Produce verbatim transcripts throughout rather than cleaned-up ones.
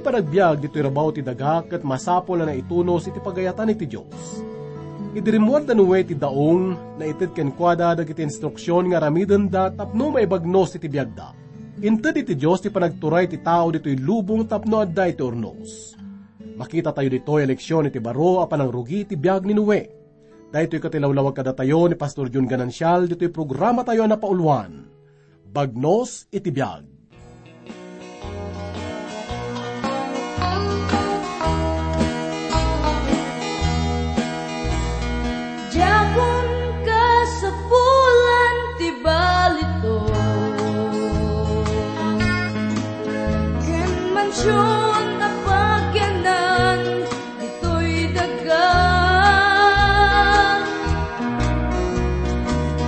Panagbiag ditoy rabaw ti daga ket masapul a naitunos iti pagayatan iti Dios. Idi rimmuar da Noe ti daong, naited kenkuada dagiti instruksion nga aramidenda tapno maibagnos iti biagda. Inted iti Dios ti panagturay ti tao ditoy lubong tapno adda iti urnos. Makitatayo ditoy a leksion iti baro a panangrugi iti biag ni Noe. Daytoy ket ilawlawag kadatayo ni Pastor Jun Ganancial ditoy programatayo a napauluan, Bagnos iti Biag. Diakon kasapulan ti balitok ken mansion a pagyanan ditoy daga.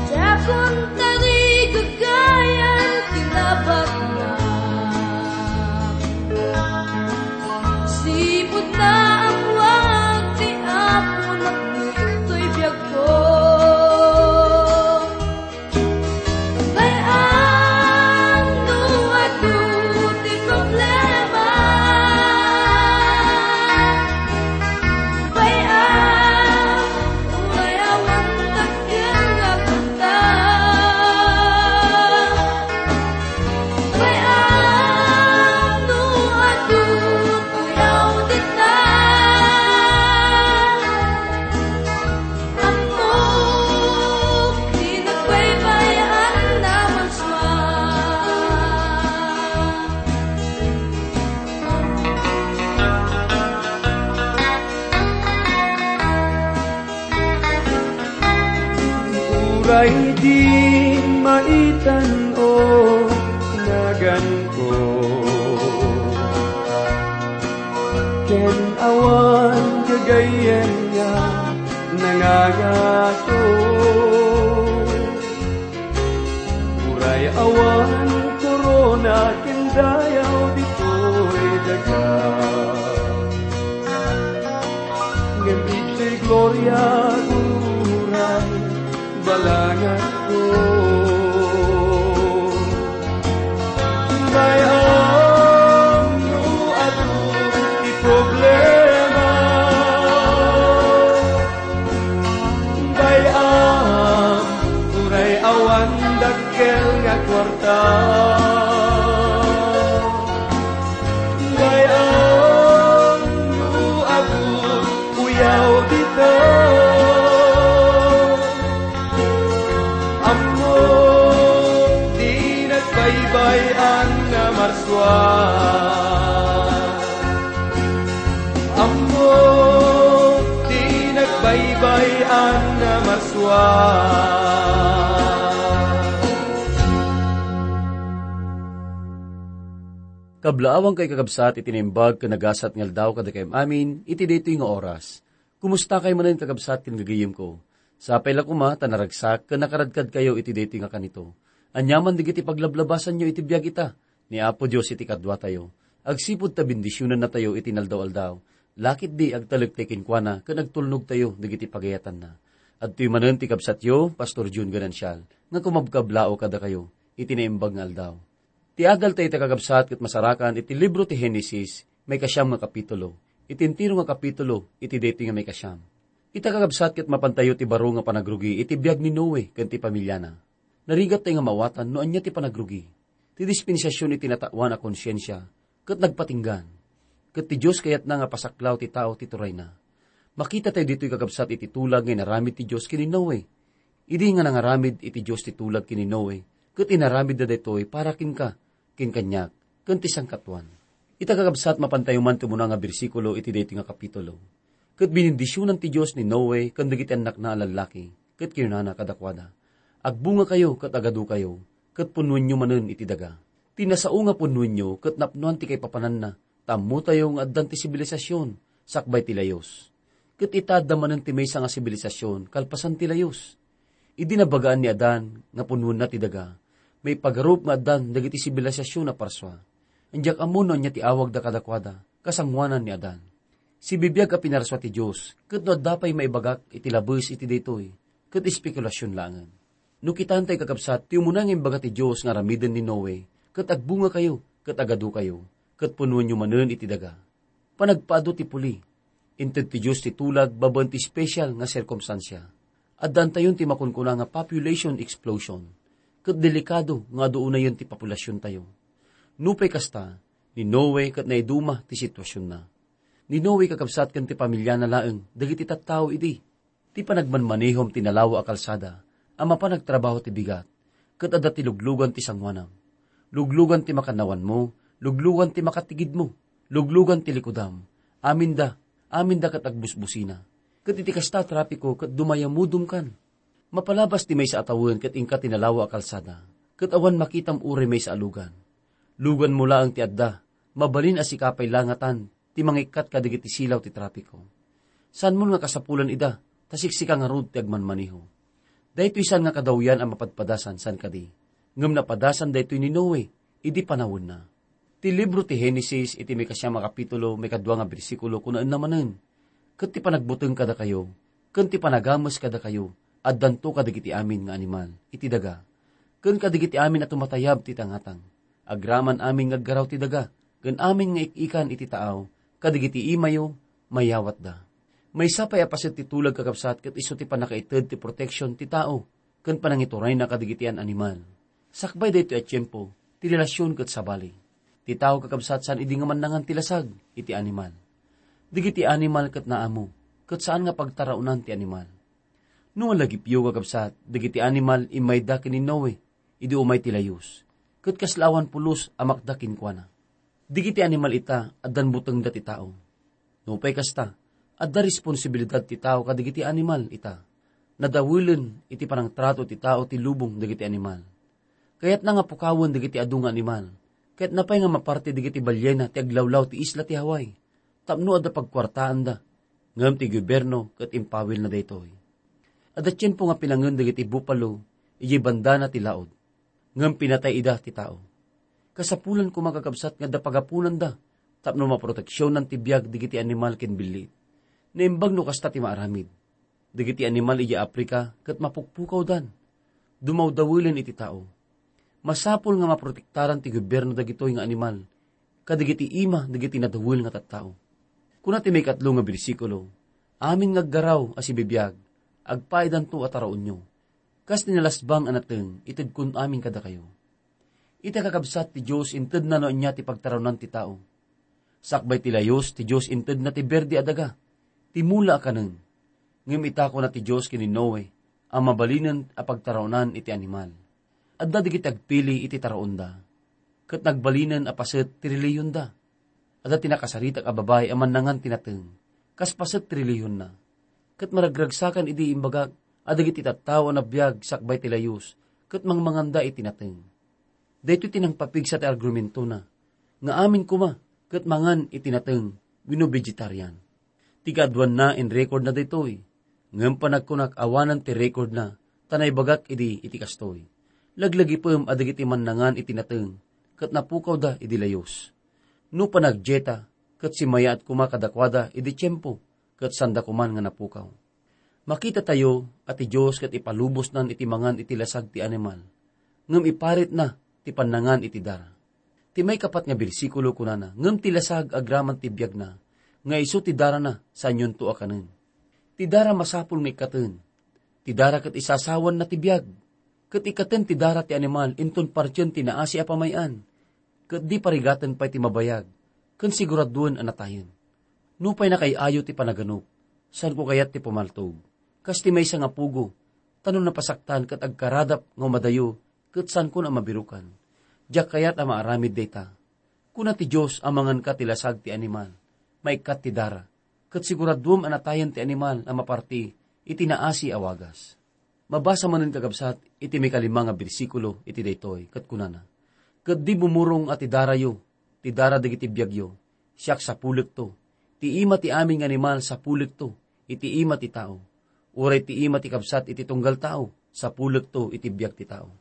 Diakon tarigagayan ti nabatna. Sipud naammoak ti Apo naknitoy biagko. Bay-am no adu ti problema. Bay-am, uray awan dakkel nga kwarta. Bay-am no adu ti auditna. Ammok ti nagbaybay-an a marsua. Uray di maitan-o naganko, ken awan gagayyem nga nangangato. Uray awan korona ken dayaw ditoy daga, ngem iti gloria uray balanganko. Bay-am no adu ti problema. Bay-am, uray awan dakkel nga kuarta. Bay-am, no adu uyaw dita. Ammok ti nagbaybay-an a marsua. Ammok ti nagbaybay-an a marsua. Kablaawangkayo, kakabsat, iti naimbag ken nagasat nga aldaw kadakayo amin iti daytoy nga oras. Kumusta kayo manen, kakabsat ken gagayyemko? Sapay la koma ta naragsak ken nakaradkadkayo iti daytoy nga kanito. Aniaman dagiti paglablabasanyo iti biag ita ni Apo Dios iti kaduatayo. Agsipud ta bendisionannatayo iti naldaw-aldaw, laketdi agtalektayo kenkuana ken agtulnogtayo dagiti pagayatanna. Adtoy manen ti kabsatyo, Pastor Jun Ganancial, nga kumabkablaaw kadakayo iti naimbag nga aldaw. Ti adaltayo ita, kakabsat, ket masarakan iti libro ti Genesis, maikasiam nga kapitulo, iti entero nga kapitulo iti daytoy nga maikasiam. Ita, kakabsat, ket mapantayo ti baro nga panagrugi iti biag ni Noe ken ti pamiliana. Narigattayo nga maawatan no ania ti panagrugi. Ti dispensasion iti natawan a konsiensia ket nagpatinggan. Ket ti Dios kayatna nga pasaklaw ti tao ti turayna. Makitatayo ditoy, kakabsat, iti tulag nga inaramid ti Dios ken ni Noe. Idi nga nangaramid iti Dios ti tulag ken ni Noe, ket inaramidda daytoy para kenka, ken kaniak, ken ti sangkatuan. Ita, kakabsat, mapantayo man ti umuna nga bersikulo iti daytoy nga kapitulo. Ket binindisionan ti Dios ni Noe ken dagiti annakna a lallaki, ket kinunana kadakuada, "Agbungakayo ket agadukayo, ket punnoenyo manen iti daga. Ti nasao nga punnoenyo ket napnoan ti kaipapananna, ta ammotayo nga addan ti sibilisasyon sakbay ti layus. Ket ita, adda manen ti maysa nga sibilisasyon kalpasan ti layus." Idi nabagaan ni Adan nga punnoenna ti daga, maipagarup nga addan dagiti sibilisasyon a parsua. Diak ammo no ania ti awagda kadakuada, kasangoanan ni Adan. Sibibiag a pinarsua ti Dios, ket no adda pay maibagak iti labes iti daytoy, ket espekulasion laengen. No kitaentayo, kakabsat, ti umuna nga imbaga ti Dios nga aramiden ni Noe, ket agbungakayo, ket agadukayo, ket punuenyo manen iti daga. Panagpaadu ti puli. Inted ti Dios ti tulag babaen ti special nga sirkumstansia. Addantayon ti makunkuna nga population explosion, ket delikado nga adu unayen ti populasiontayo. Nupay kasta, ni Noe ket naiduma ti situasionna. Ni Noe kakabsat ken ti pamiliana laeng dagiti tattao idi. Ti panagmanmanehom ti nalawa a kalsada a mapan agtrabaho ti bigat, ket adda ti luglugan ti sangoanam. Luglugan ti makannawanmo, luglugan ti makatigidmo, luglugan ti likudam, aminda, aminda ket agbusbusina. Ket iti kasta a trapiko ket dumayamudom kan. Mapalabas ti maysa a tawen ket inka ti nalawa a kalsada, ket awan makitam uray maysa a lugan. Luganmo laeng ti adda, mabalin a sika pay la ngatan ti mangikkat kadagiti silaw ti trapiko. Saanmon nga kasapulan ida, ta siksika ngarud ti agmanmaneho. Daytoy saan nga kadawyan a mapadpadasan, saan kadi? Ngem napadasan daytoy ni Noe idi panawenna. Ti libro ti Genesis iti maikasiam a kapitulo, maikadua nga bersikulo, kunaenna manen, "Ket ti panagbuteng kadakayo, ken ti panagames kadakayo, addanto kadagiti amin nga animal iti daga, ken kadagiti amin a tumatayab ti tangatang, agraman amin nga aggaraw ti daga, ken amin nga ik-ikan iti taaw, kadagiti imayo, mayawatda." Maysa pay a paset ti tulag, kakabsat, ket isu ti pannakaited ti proteksion ti tao ken panangiturayna kadagiti an-animal. Sakbay daytoy a tiempo, ti relasion ket sabali. Ti tao, kakabsat, saan idi nga mannangan ti lasag iti animal. Dagiti animal ket naammo, ket saan nga pagtaraonan ti animal. No malagipyo, kakabsat, dagiti animal immayda ken ni Noe idi umay ti layus, ket kasla awan pulos a makda kenkuana. Dagiti animal ita, addan butengda ti tao. Nupay kasta, adda responsibilidad ti tao kadagiti animal ita. Nadawelen iti panangtrato ti tao ti lubong dagiti animal. Kayatna nga pukawen dagiti adu nga animal. Kayatna pay nga maparti dagiti baliena ti aglawlaw ti isla ti Hawaii, tapno adda pagkuartaanda. Ngem ti gobierno ket impawilna daytoy. Adda tiempo nga pinangen dagiti buffalo idiay bandana ti laod. Ngem pinatay ida ti tao. Kasapulan koma, kakabsat, nga adda pagapunanda tapno maproteksionan ti biag dagiti animal ken billit. Naimbag no kasta ti maaramid. Dagiti animal idiay Africa ket mapukpukawdan. Dumawdawelen iti tao. Masapul nga maprotektaran ti gobierno dagitoy nga animal kadagiti ima dagiti nadawel nga tattao. Kuna ti maikatlo nga bersikulo, "Amin nga aggaraw a sibibiag, agpaidanto a taraonyo, kas ti nalasbang a nateng itedkon amin kadakayo." Ita, kakabsat, ti Dios intedna no ania ti pagtaraonan ti tao. Sakbay ti layus, ti Dios intedna ti berde a daga, ti mula a kanen. Ngem ita, kuna ti Dios ken ni Noe, a mabalinen a pagtaraonan iti animal. Adda dagiti agpili iti taraonda, ket nagbalinen a paset ti relihionda. Adda ti nakasaritak a babai a mannangan ti nateng, kas paset ti relihiyonna. Ket maragragsakan idi imbagak a dagiti tattao a nabiag sakbay ti layus, ket mangmanganda iti nateng. Daytoy ti nangpapigsa ti argumentona, nga amin koma ket mangan iti nateng wenno vegetarian. Ti kaaduanna, inrekordna daytoy. Ngem panagkunak, awanan ti rekordna, ta naibagak idi iti kastoy. Laglagipem a dagiti mannangan iti nateng ket napukawda idi layus. No panagdieta, ket simmayaat koma kadakuada idi tiempo, ket saanda koman nga napukaw. Makitatayo a ti Dios ket ipalubosnan iti mangan iti lasag ti animal, ngem iparitna ti pannangan iti dara. Ti maikapat nga bersikulo kunana, "Ngem ti lasag agraman ti biagna, nga isu ti darana, saanyonto a kanen." Ti dara masapul nga ikkaten. Ti dara ket isasawanna ti biag. Ket ikkaten ti dara ti animal inton partien ti naasi a pamay-an, ket di parigaten pay ti mabayag, ken siguraduen a natayen. Nupay nakaay-ayo ti panaganup, saanko kayat ti pumaltog, kas ti maysa nga pugo, ta no napasaktan ket agkaradap nga umadayo, ket saankon a mabirukan. Diak kayat a maaramid dayta. Kuna ti Dios a manganka ti lasag ti animal, maikkat ti dara, ket siguraduem a natayen ti animal a maparti iti naasi a wagas. Mabasa manen, kakabsat, iti maikalima nga bersikulo iti daytoy, ket kunana, "Ket di bumurong a ti darayo, ti dara dagiti biagyo, siak sapulekto. Ti ima ti amin nga animal sapulekto iti ima ti tao. Uray ti ima ti kabsat iti tunggal tao, sapulekto iti biag ti tao."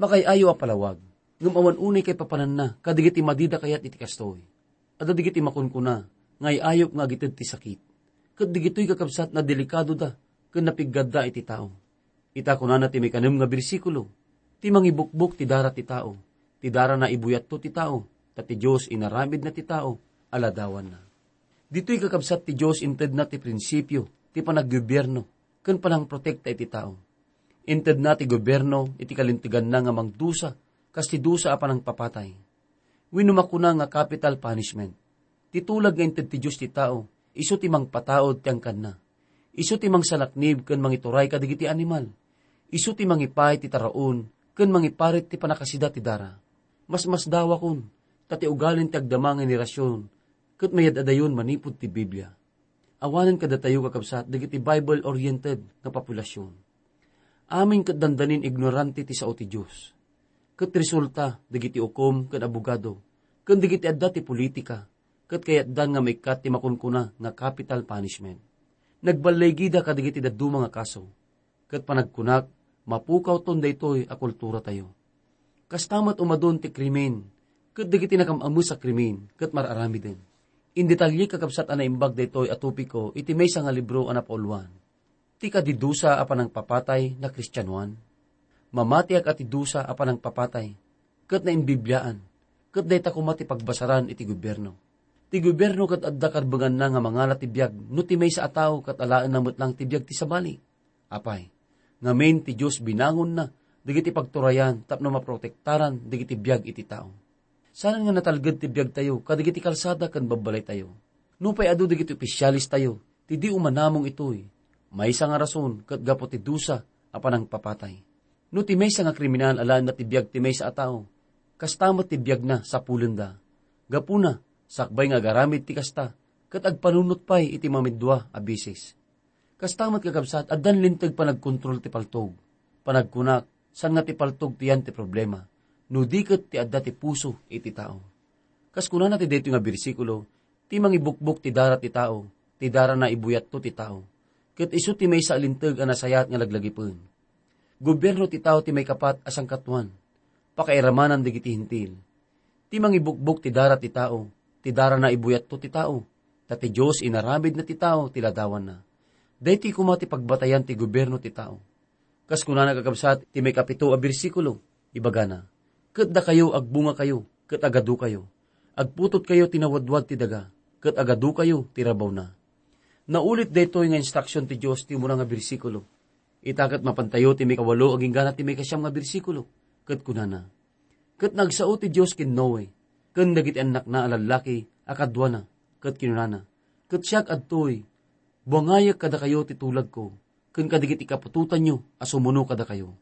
Makaay-ayo a palawag, ngem awan unay kaipapananna kadagiti madida kayat iti kastoy. Adda dagiti makunkuna nga ay-ayop nga agited ti sakit. Ket dagitoy, kakabsat, nadelikadoda ken napiggadda iti tao. Ita, kunana ti maikanem nga bersikulo, "Ti mangibukbok ti dara ti tao, ti darana ibuyatto ti tao, ta ti Dios inaramidna ti tao a ladawanna. Ditoy kakabsat ti Dios intedna ti prinsipio ti panaggobyerno ken panangprotekta iti tao. Intedna ti gobierno iti kalinteganna nga mangdusa kas ti dusa a panangpapatay. Wenno makuna nga capital punishment. Ti tulag nga inted ti Dios ti tao, isu ti mangpataud ti angkanna. Isu ti mangsalaknib ken mangituray kadagiti animal. Isu ti mangipay ti taraon ken mangiparit ti pannakasida ti dara. Masmasdawakon, ta ti ugalin ti agdama nga henerasion ket mayad-adayon manipud ti Biblia. Awanen kadatayo, kakabsat, dagiti Bible-oriented nga populasion. Amin ket dandanin ignorante ti sao ti Dios. Ket resulta, dagiti ukom ken abogado, ken dagiti adda ti politika, ket kayatdan nga maikkat ti makunkuna nga capital punishment. Nagballigida kadagiti dadduma nga kaso. Ket panagkunak, mapukawton daytoy a kulturatayo. Kasta met umadun ti krimen, ket dagiti nakam-ames a krimen ket mar-aramiden. Indetalye, kakabsat, a naimbag daytoy a topiko iti maysa nga libro a napauluan, ti kadi dusa a panangpapatay na Kristianoan. Mamatiak a ti dusa a panangpapatay, ket naimbibliaan, ket dayta koma ti pagbasaran iti gobierno. Ti gobierno ket adda karbenganna nga mangala ti biag no ti maysa a tao ket alaenna met lang ti biag ti sabali. Apay, ngamin ti Dios binangonna dagiti pagturayan tapno maprotektaran dagiti biag iti tao. Saan nga natalged ti biagtayo kadagiti kalsada ken babbalaytayo. Nupay adu dagiti opisyalestayo ti di umanamong itoy, maysa nga rason ket gapu ti dusa a panangpapatay. No ti maysa nga kriminal alaenna ti biag ti maysa a tao, kasta met ti biagna sapulenda. Gapuna, sakbay nga agaramid ti kasta, ket agpanunot pay iti mamiddua a bisis. Kasta met, kakabsat, addan linteg panagkontrol ti paltog. Panagkunak, saan nga ti paltog ti yan ti problema, no di ket ti adda ti puso iti tao. Kas kunana ti daytoy nga bersikulo, ti mangibukbok ti dara ti tao, ti darana ibuyatto ti tao. Ket isu ti maysa a linteg a nasayaat nga laglagipen. Gobierno ti tao ti maikapat a sangkatuan. Pakairamanan dagiti Hentil. Ti mangibukbok ti dara ti tao, ti darana ibuyatto ti tao. Ta ti Dios inaramidna ti tao ti ladawanna. Daytoy koma ti pagbatayan ti gobierno ti tao. Kas kunana, kakabsat, ti maikapito a bersikulo, ibagana, "Ket dakayo, agbungakayo, ket agadukayo. Agputotkayo ti nawadwad ti daga, ket agadukayo ti rabawna." Naulit daytoy nga instruksion ti Dios ti umuna nga bersikulo. Ita ket mapantayo ti maikawalo agingga ti maikasiam nga bersikulo, ket kunana, "Ket nagsao ti Dios ken Noe, ken dagiti annakna a lallaki a kaduana, ket kinunana, 'Ket siak adtoy, buangayek kadakayo ti tulagko, ken kadagiti kaputotanyo a sumuno kadakayo.'"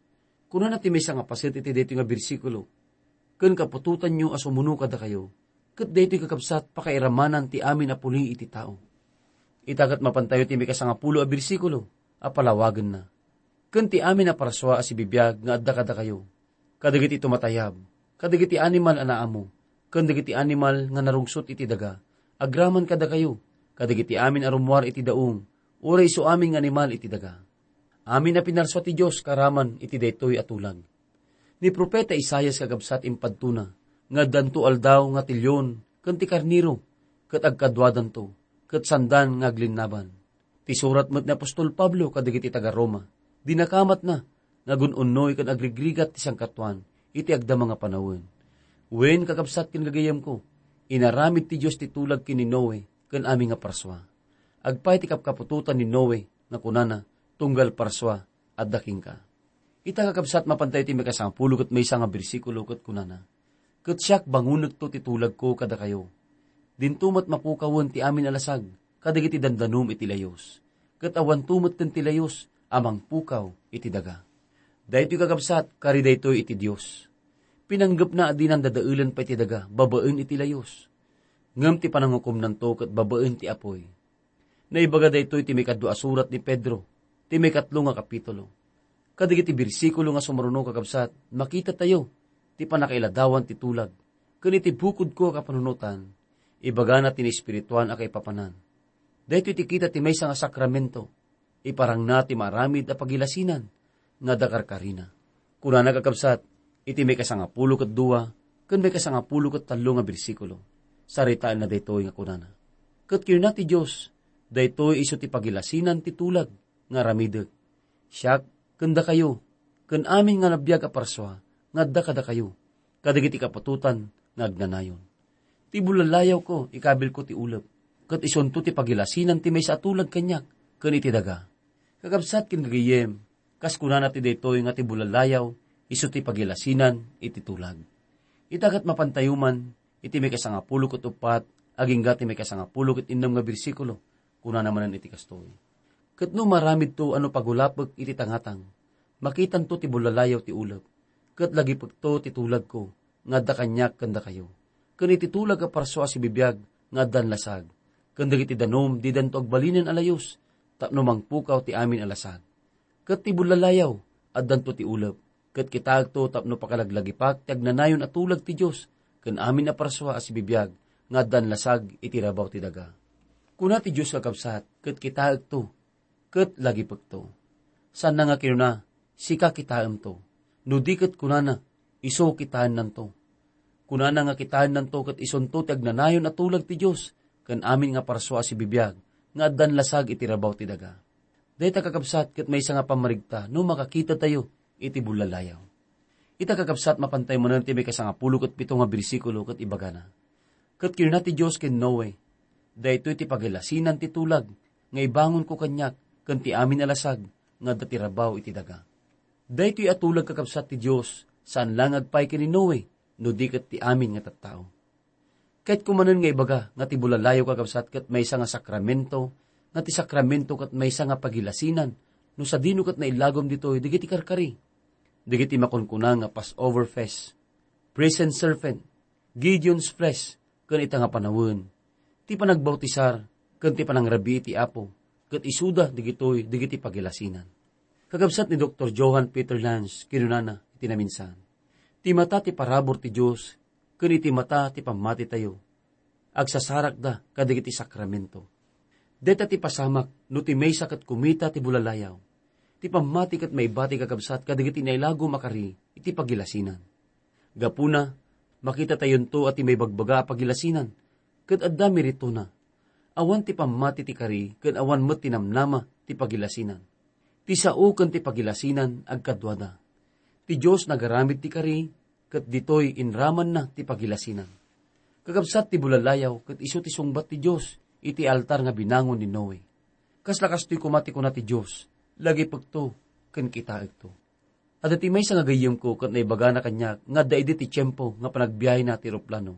Kunana ti maysa nga paset iti daytoy nga bersikulo, "Ken kaputotanyo a sumuno kadakayo." Ket daytoy, kakabsat, pakairamanan ti amin a puli iti tao. Ita ket mapantayo ti maikasangapulo a bersikulo a palawagenna, "Ken ti amin a parsua a sibibiag nga adda kadakayo, kadagiti tumatayab, kadagiti animal a naammo, ken dagiti animal nga narungsot iti daga, agraman kadakayo, kadagiti amin a rummuar iti daong, uray isu amin nga animal iti daga." Amin a pinarsua ti Dios karaman iti daytoy a tulag. Ni profeta Isaias, kakabsat, impadtona nga addanto aldaw nga ti leon ken ti karnero, ket agkaduadanto, ket saandan nga aglinnaban. Ti surat met ni apostol Pablo kadagiti taga-Roma, dinakamatna nga agun-unnoy ken agrigrigat ti sangkatuan iti agdama nga panawen. Wen, kakabsat ken gagayemko, inaramid ti Dios ti tulag ken ni Noe ken amin nga parsua. Agpay ti kapkaputotan ni Noe nga kunana, "Tunggal parsua, adda kenka." Ita, kakabsat, mapantayo ti maikasangapulo ket maysa nga bersikulo ket kunana, "Ket siak, bangonekto ti tulagko kadakayo. Dinto met mapukawen ti amin a lasag kadagiti dandanom iti layos, ket awanto metten ti layos a mangpukaw iti daga." Daytoy, kakabsat, kari daytoy iti Dios. Pinanggepna a dinan dadaelen pay ti daga babaen iti layos. Ngem ti panangukomnanto ket babaen ti apuy. Naibaga daytoy ti maikadua a surat ni Pedro, ti maikatlo nga kapitulo. Kadagiti bersikulo nga sumurunong, kakabsat, makitatayo ti pannakailadawan ti tulag, ken iti bukodko a kapanunotan, ibagana ti naespirituan a kaipapanan. Daytoy ti kita ti maysa nga sakramento, iparangna ti maaramid a pagilasinan nga adda karkarina. Kunana, kakabsat, iti maikasangapulo ket dua ken maikasangapulo ket tallo nga bersikulo, saritaenna daytoy nga kunana, "Ket kinuna ti Dios, 'Daytoy isu ti pagilasinan ti tulag nga aramidek, siak ken dakayo, ken amin nga nabiag a parsua nga adda kadakayo, kadagiti kaputotan nga agnanayon.'" Ti bulallayawko, ikabilko ti ulep, ket isunto ti pagilasinan ti maysa a tulag kaniak ken iti daga. Kakabsat ken gagayyem, kas kunana ti daytoy nga ti bulalliaw, isu ti pagilasinan iti tulag. Ita ket mapantayo man iti maikasangapulo ket uppat agingga ti maikasangapulo ket innem nga bersikulo, kunana manen iti kastoy, "Ket no maaramidto a no pagulapek iti tangatang, makitanto ti bulalliaw ti ulep, ket lagipekto ti tulagko nga adda kaniak ken dakayo, ken iti tulag a parsua a sibibiag nga addan lasag, ken dagiti danum didanto agbalinen a layus, tapno mangpukaw ti amin a lasag. Ket ti bulalliaw, addanto ti ulep, ket kitaekto tapno pakalaglagipak ti agnanayon a tulag ti Dios ken amin a parsua a sibibiag nga addan lasag iti rabaw ti daga." Kuna ti Dios, kakabsat, ket kitaekto ket lagipekto. Saanna nga kinuna, "Sika kitaemto." No di ket kunana, "Isu kitaennanto." Kunana nga kitaennanto ket isunto ti agnanayon a tulag ti Dios ken amin nga parsua a sibibiag nga addan lasag iti rabaw ti daga. Dayta, kakabsat, ket maysa nga pammarigta no makakitatayo iti bulalliaw. Ita, kakabsat, mapantayo manen ti maikasangapulo ket pito nga bersikulo ket ibagana, "Ket kinuna ti Dios ken Noe, 'Daytoy ti pagilasinan ti tulag nga ibangonko kaniak ken ti amin a lasag nga adda ti rabaw iti daga.'" Daytoy a tulag, kakabsat, ti Dios, saan la nga agpaay ken ni Noe, no di ket ti amin nga tattao. Kayatko manen nga ibaga nga ti bulalliaw, kakabsat, ket maysa nga sakramento, nga ti sakramento ket maysa nga pagilasinan, no sadino ket nailagom ditoy dagiti karkari, dagiti makunkuna nga Passover feast, brazen serpent, Gideon's fleece, ken ita nga panawen, ti panagbautisar, ken ti panangrabii ti Apo, ket isuda dagitoy dagiti pagilasinan. Kakabsat ni Doktor Johann Peter Lanz, kinunana iti naminsan, "Ti mata ti parabur ti Dios, ken iti mata ti pammatitayo, agsasarakda kadagiti sakramento." Dayta ti pasamak no ti maysa ket kumita ti bulalliaw. Ti pammati ket maibati, kakabsat, kadagiti nailagom a kari iti pagilasinan. Gapuna, makitatayonto a ti maibagbaga a pagilasinan, ket adda meritona. Awan ti pammati ti kari, ken awan met ti namnama ti pagilasinan. Ti sao ken ti pagilasinan agkaduada. Ti Dios nagaramid ti kari, ket ditoy inramanna ti pagilasinan. Kakabsat, ti bulalliaw ket isu ti sungbat ti Dios iti altar nga binangon ni Noe. Kasla kastoy koma ti kuna ti Dios, "Lagipekto ken kitaekto." Adda ti maysa nga gayyemko ket naibagana kaniak nga adda idi ti tiempo nga panagbiahena ti eroplano,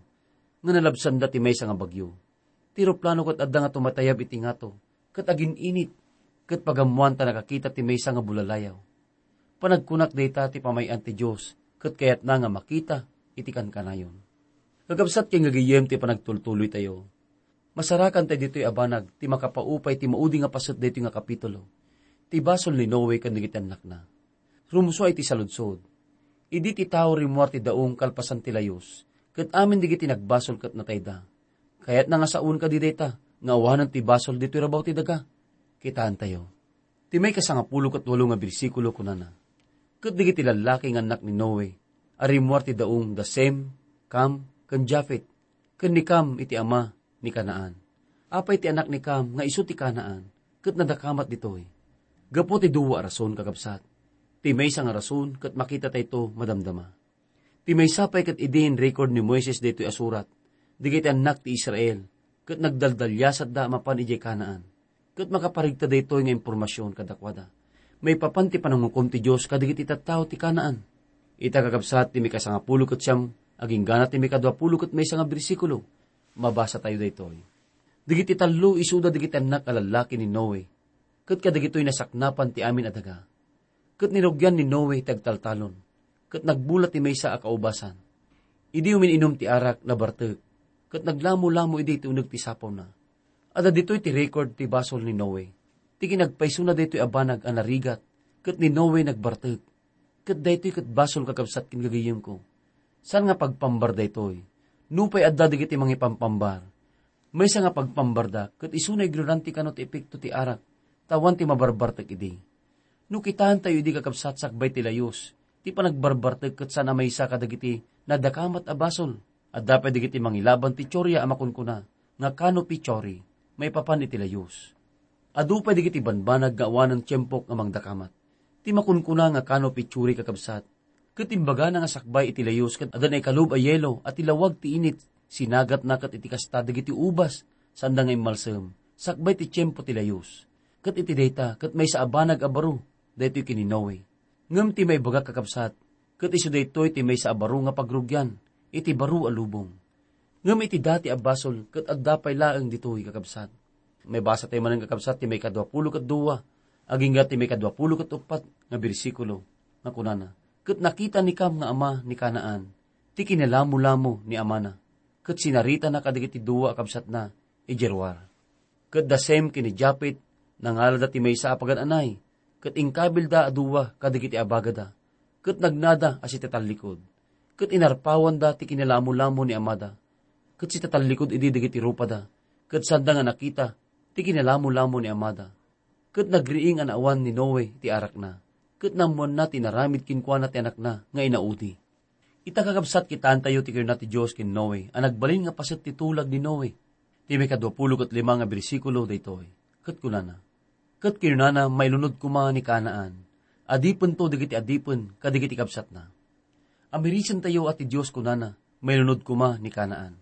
nga nalabsanda ti maysa nga bagyo. Ti eroplano ket adda nga tumatayab iti ngato, ket agin-init, ket pagammoan ta nakakita ti maysa nga bulalliaw. Panagkunak dayta ti pamay-an ti Dios, ket kayatna nga makita iti kankanayon. Kakabsat ken gagayyem ti panagtultuloytayo, masarakan tayo ditoy a banag ti makapaupay ti maudi nga paset daytoy nga kapitulo, ti basol ni Noe ken dagiti annakna. Rumsua iti saludsod. Idi ti tao rimmuar ti daong kalpasan ti layus, ket amin dagiti nagbasol ket natayda. Kayatna nga saon kadi dayta nga awanen ti basol ditoy rabaw ti daga? Kitaentayo. Ti maikasangapulo ket walo nga bersikulo kunana, "Ket dagiti lallaki nga annak ni Noe a rimmuar ti daong da Sem, Cam, ken Jafet, ken ni Cam iti ama ni Canaan." Apay ti anak ni Cam nga isu ti Canaan, ket nadakamat ditoy? Gapu ti dua a rason, kakabsat. Ti maysa nga rason ket makitatayto madamdama. Ti maysa pay ket idi in-record ni Moises daytoy a surat, dagiti annak ti Israel, ket nagdaldaliasatda a mapan idiay Canaan. Ket makaparigta daytoy nga impormasion kadakuada maipapan ti panangukom ti Dios kadagiti tattao ti Canaan. Ita, kakabsat, ti mikasangapulo ket siam, agingga ti mikaduapulo ket maysa nga bersikulo, mabasatayo daytoy. Dagiti tallo isuda dagiti annak a lallaki ni Noe, ket kadagitoy nasaknapan ti amin a daga. Ket nirugian ni Noe ti agtaltalon, ket nagbula ti maysa a kaubasan. Idi umin-inum ti arak, nabartek, ket naglamolamo idi ti uneg ti sapawna. Adda ditoy ti record ti basol ni Noe, ti kinagpaysona daytoy a banag a narigat, ket ni Noe nagbartek. Ket daytoy ket basol, kakabsat ken gagayyemko. Saan nga pagpambar daytoy. Nupay adda dagiti mangipampambar, maysa nga pagpambarda ket isuna ignorante kano ti epekto ti arak, ta awan ti mabarbartek idi. No kitaentayo idi, kakabsat, sakbay ti layus, ti panagbarbartek ket saan a maysa kadagiti nadakamat a basol. Adda pay dagiti mangilaban ti teoria a makunkuna nga canopy theory maipapan iti layus. Adu pay dagiti banbanag nga awanen tiempo nga mangdakamat. Ti makunkuna nga canopy theory, kakabsat, ket imbagana nga sakbay iti layus ket adda naikalub a yelo a ti lawag ti init Sinagatna ket iti kasta dagiti ubas, sanda nga immalsem, sakbay ti tiempo ti layus. Ket iti dayta, ket maysa a banag a baro, daytoy ken ni Noe. Ngem ti maibaga, kakabsat, ket isu daytoy ti maysa a baro nga pagrugian, iti baro a lubong. Ngem iti dati a basol, ket adda pay laeng ditoy, kakabsat. Maibasa tayo manen, kakabsat, ti maikadua pulo ket dua, agingga ti maikadua pulo ket uppat nga bersikulo, nga kunana, "Ket nakita ni Kam nga ama ni Canaan, ti kinalamolamo ni amana, ket sinaritana kadagiti dua a kabsatna idiay ruar." Ket da Sem ken ni Jafet, nangalada ti maysa a pagan-anay, ket inkabilda a dua kadagiti abagada, ket nagnada a sitatallikod. Ket inarpawanda ti kinalamolamo ni amada, ket sitatallikod idi dagiti rupada, ket sanda nga nakita ti kinalamolamo ni amada. Ket nagriing a naawan ni Noe ti arakna, ket naammoanna ti inaramid kenkuana ti anakna nga inaudi. Ita, kakabsat, kitaentayo ti kinuna ti Dios ken Noe a nagbalin nga paset ti tulag ni Noe. Ti maikadua pulo ket lima nga bersikulo daytoy, ket kunana, "Ket kinunana, 'Mailunod koma ni Canaan. Adipento dagiti adipen kadagiti kabsatna.'" Amirisentayo a ti Dios kunana, "Mailunod koma ni Canaan."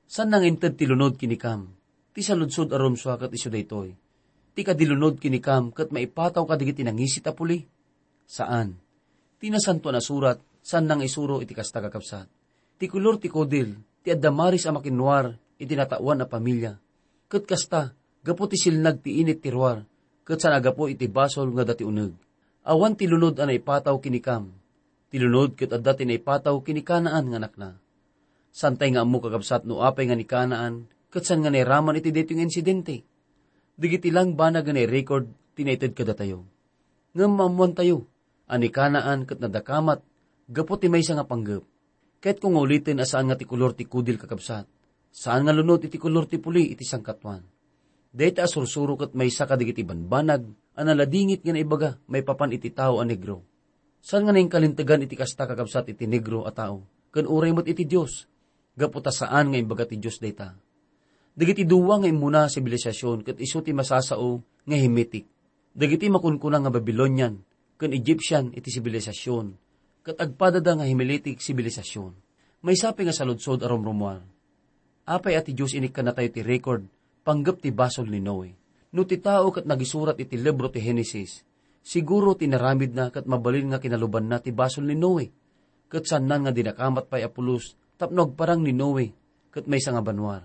Saan nga inted ti lunod ken ni Kam? Ti saludsod a rumsua ket isu daytoy, ti kadi lunod ken ni Kam ket maipataw kadagiti nangisit a puli? Saan. Ti Nasantoan a Surat, saan nga isuro iti kasta, kakabsat. Ti kolor ti kudil, ti adda maris a makinruar iti nataoan a pamilia. Ket kasta, gapu ti silnag ti init ti ruar, ket saan a gapu iti basol nga adda ti uneg. Awan ti lunod a naipataw ken ni Kam. Ti lunod ket adda ti naipataw ken ni Canaan nga anakna. Saantay nga ammo, kakabsat, no apay nga ni Canaan ket saan nga nairaman iti daytoy nga insidente. Dagiti lang banag nga nairecord ti naited kadatayo. Ngem maammoantayo a ni Canaan ket nadakamat gapu ti maysa nga panggep. Kayatko nga uliten a saan nga ti kolor ti kudil, kakabsat. Saan nga lunod iti kolor ti puli iti sangkatuan. Dayta a sursuro ket maysa kadagiti banbanag a naladingit nga naibaga maipapan iti tao a negro. Saan nga nainkalintegan iti kasta, kakabsat, iti negro a tao, ken uray met iti Dios, gapu ta saan nga imbaga ti Dios dayta. Dagiti dua nga immuna a sibilisasyon ket isu ti masasao nga Hemitic. Dagiti makunkuna nga Babilonian ken Egyptian iti sibilisasyon, ket agpadada nga Hemitic sibilisasyon. Maysa pay nga saludsod a rumrumuar. Apay a ti Dios inikkannatayo ti record panggep ti basol ni Noe? No ti tao ket nagisurat iti libro ti Genesis, siguro ti inaramidna ket mabalin nga kinalubanna ti basol ni Noe, ket saannan nga dinakamat pay a pulos tapno agparang ni Noe ket maysa nga banua.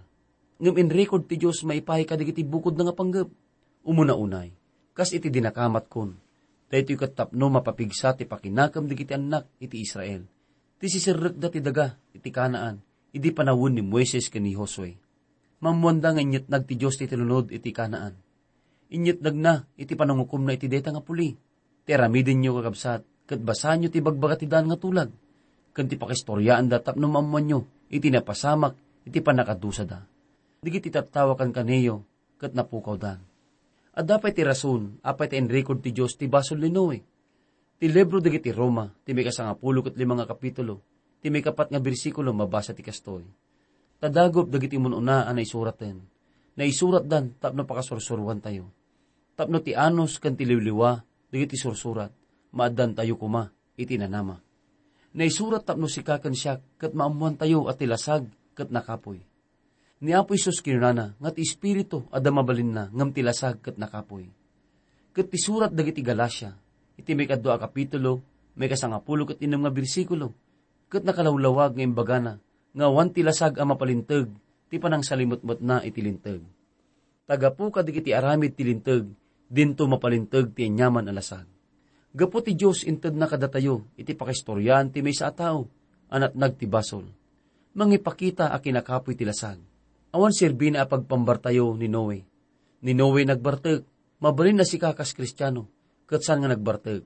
Ngem inrecord ti Dios maipaay kadagiti bukodna nga panggep. Umuna unay, kas iti dinakamatkon, daytoy ket tapno mapapigsa ti pakinakem dagiti annak iti Israel, ti siserrekda ti daga iti Canaan idi panawen ni Moises ken ni Josue. Maammoanda nga inyetnag ti Dios ti tinulod iti Canaan. Inyetnagna iti panangukomna iti dayta nga puli. Ti aramidenyo, kakabsat, ket basaenyo ti ibagbaga ti daan nga tulag, ken ti pakistoriaanda tapno maammoanyo iti napasamak iti pannakadusada. Dagiti tattao a kankanayo ket napukawdan. Adda pay ti rason apay ta inrecord ti Dios ti basol ni Noe. Ti libro dagiti Roma, ti maikasangapulo ket lima nga kapitulo, ti maikapat nga bersikulo, mabasa ti kastoy, "Ta dagop dagiti mun-una a naisuraten, naisuratdan tapno pakasursuroantayo. Tapno ti anus ken ti liwliwa dagiti sursurat, maaddantayo koma iti nanama. Naisurat tapno sika ken siak ket maammoantayo a ti lasag ket nakapuy." Ni Apo Jesus kinunana nga ti Espiritu adda mabalinna ngem ti lasag ket nakapuy. Ket ti surat dagiti Galacia, iti maikadua a kapitulo, maikasangapulo ket innem nga bersikulo, ket nakalawlawag nga imbagana nga awan ti lasag a mapalinteg ti panangsalimetmetna iti Linteg. Ta gapu kadagiti aramid ti Linteg, dinto mapalinteg ti aniaman a lasag. Gapu ti Dios, intedna kadatayo iti pakaistoriaan ti maysa a tao a natnag ti basol. Mangipakita a kinakapuy ti lasag. Awan serbina a pagpambartayo ni Noe. Ni Noe nagbartek, mabalin a sika kas Kristiano, ket saan nga nagbartek.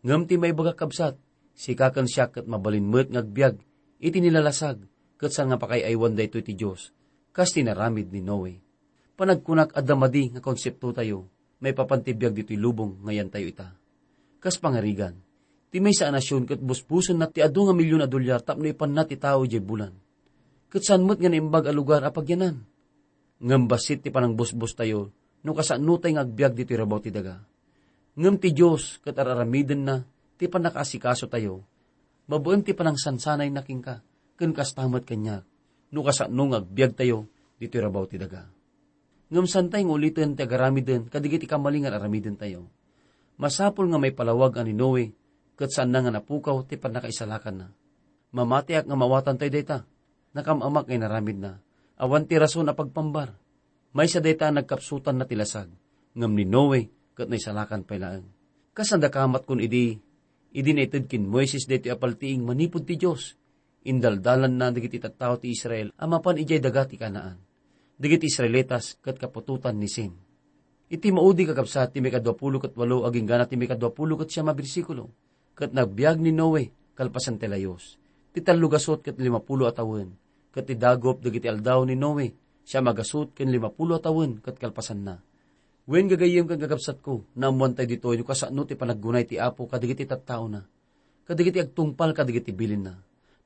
Ngem ti maibaga, kabsat, sika ken siak ket mabalin met nga agbiag iti nilalasag, ket saan nga pakaay-aywan daytoy ti Dios, kas ti naramid ni Noe. Panagkunak, adda madi nga konseptotayo maipapan ti biag ditoy lubong nga yantayo ita. Kas pangarigan, ti maysa a nasion ket busbusenna ti adu nga milyon a dolyar tapno ipanna ti tao idiay bulan. Ket saan met nga naimbag a lugar a pagyanan. Ngem bassit ti panangbusbostayo no kasanotayo nga agbiag ditoy rabaw ti daga. Ngem ti Dios ket ar-aramidenna ti pannakaasikasotayo, babaen ti panangsansanayna kenka, ken kasta met kaniak. no kasano nga agbiagtayo ditoy rabaw ti daga. Ngem saantay nga uliten ti agaramiden kadagiti kamali nga aramidentayo. Masapul nga maipalawag a ni Noe ket saanna nga napukaw ti pannakaisalakanna. Mamatiak nga mawatantayo dayta. Nakam-amak nga inaramidna. Awan ti rason a pagpambar. Maysa dayta a nagkapsutanna ti lasag, ngem ni Noe ket naisalakan pay laeng. Kas nadakamat kun idi, idi naited ken Moises daytoy a paltiing manipud ti Dios, indaldalanna dagiti tattao ti Israel a mapan idiay daga ti Canaan. Dagiti Israelitas ket kaputotan ni Sem. Iti maudi, kakabsat, ti maikadua pulo ket walo agingga na ti maikadua pulo ket siam a bersikulo, ket nagbiag ni Noe kalpasan ti layus, ti tallo gasut ket limapulo a tawen, ket ti dagup dagiti aldaw ni Noe, siam a gasut ken limapulo a tawen ket kalpasanna. Wen, gagayyem ken kakabsatko, naammoantayo ditoy no kasano ti panaggunay ti Apo kadagiti tattaona, kadagiti agtungpal kadagiti bilinna.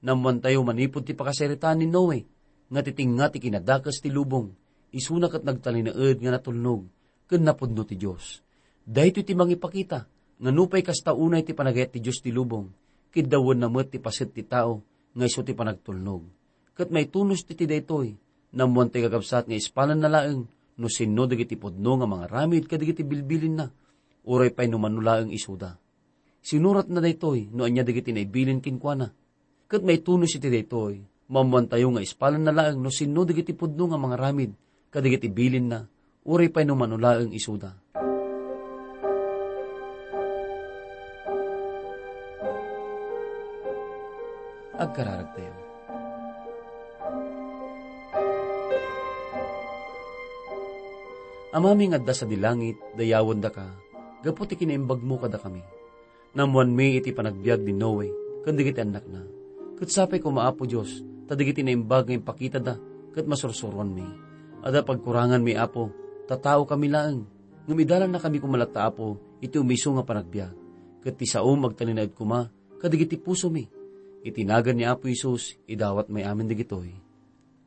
Naammoantayo manipud ti pakasaritaan ni Noe nga ti tengnga ti kinadakes ti lubong, isuna ket nagtalinaed nga natulnog ken napudno ti Dios. Daytoy ti mangipakita nga nupay kasta unay ti panagayat ti Dios ti lubong, kiddawenna met ti paset ti tao nga isu ti panagtulnog. Ket maitunos ti, ti daytoy, naammoantayo, kakabsat, nga ispalanna laeng no sinno dagiti pudno nga mangaramid kadagiti bilbilinna, uray pay no mano laeng isuda. Sinuratna daytoy no ania dagiti naibilin kenkuana. Ket maitunos iti daytoy, maammoantayo nga ispalanna laeng no sinno dagiti pudno nga mangaramid kadagiti bilinna, uray pay no mano laeng isuda. Agkararagtayo. Amami nga adda sadi langit, dayawendaka gapu ti kinaimbagmo kadakami. Naammoanmi iti panagbiag ni Noe ken dagiti annakna. Ket sapay koma, Apo Dios, ta dagiti naimbag nga impakitada ket masursuroanmi. Adda pagkuranganmi, Apo, ta taokami laeng. Ngem idalannakami koma latta, Apo, iti umiso nga panagbiag. Ket ti saom agtalinaed koma kadagiti pusomi. Iti nagan ni Apo Jesus, idawatmi amin dagitoy.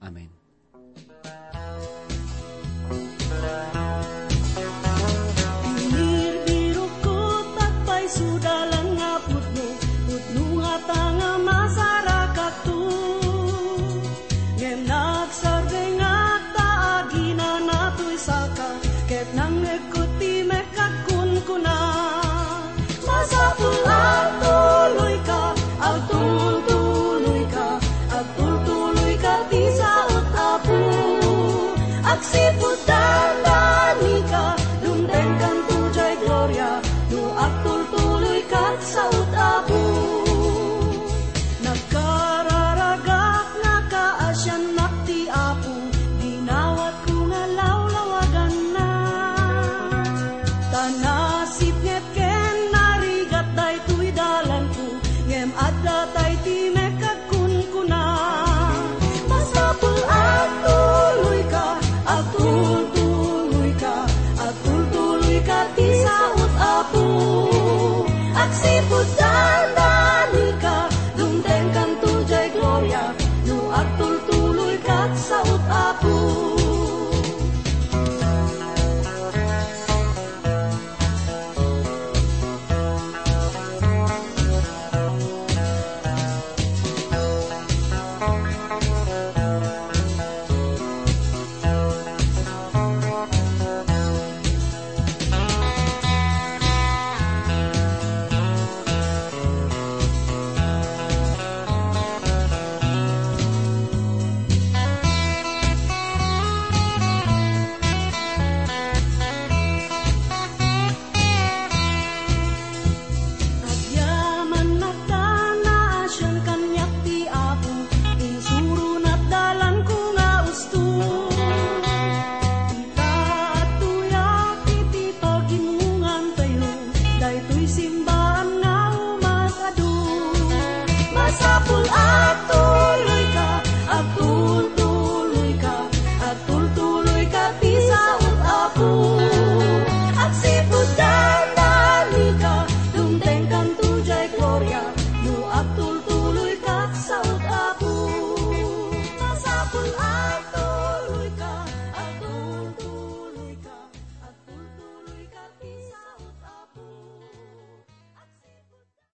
Amen. Binirbirokko, agpayso dalan nga pudno, pudno ngata nga masarakanto. Ngem nagsardengak ta aginana toy saka, ket nangngegko ti mekka agkunkuna. Masapul a agtuloyka, agtultuloyka, agtultuloyka ti saot, Apo. Agsipud dandanika, dumtengkanto diay gloria, no agtultuloyka saot, Apo. Nagkararagak nga kaasiannak ti Apo, dinawatko nga lawlawaganna. Ta nasipnget ken narigat daytoy dalanko, ngem adda tay ti mekka agkunkuna. Masapul a agtuloyka, agtultuloyka, agtultuloyka ti saot, Apo. Agsipud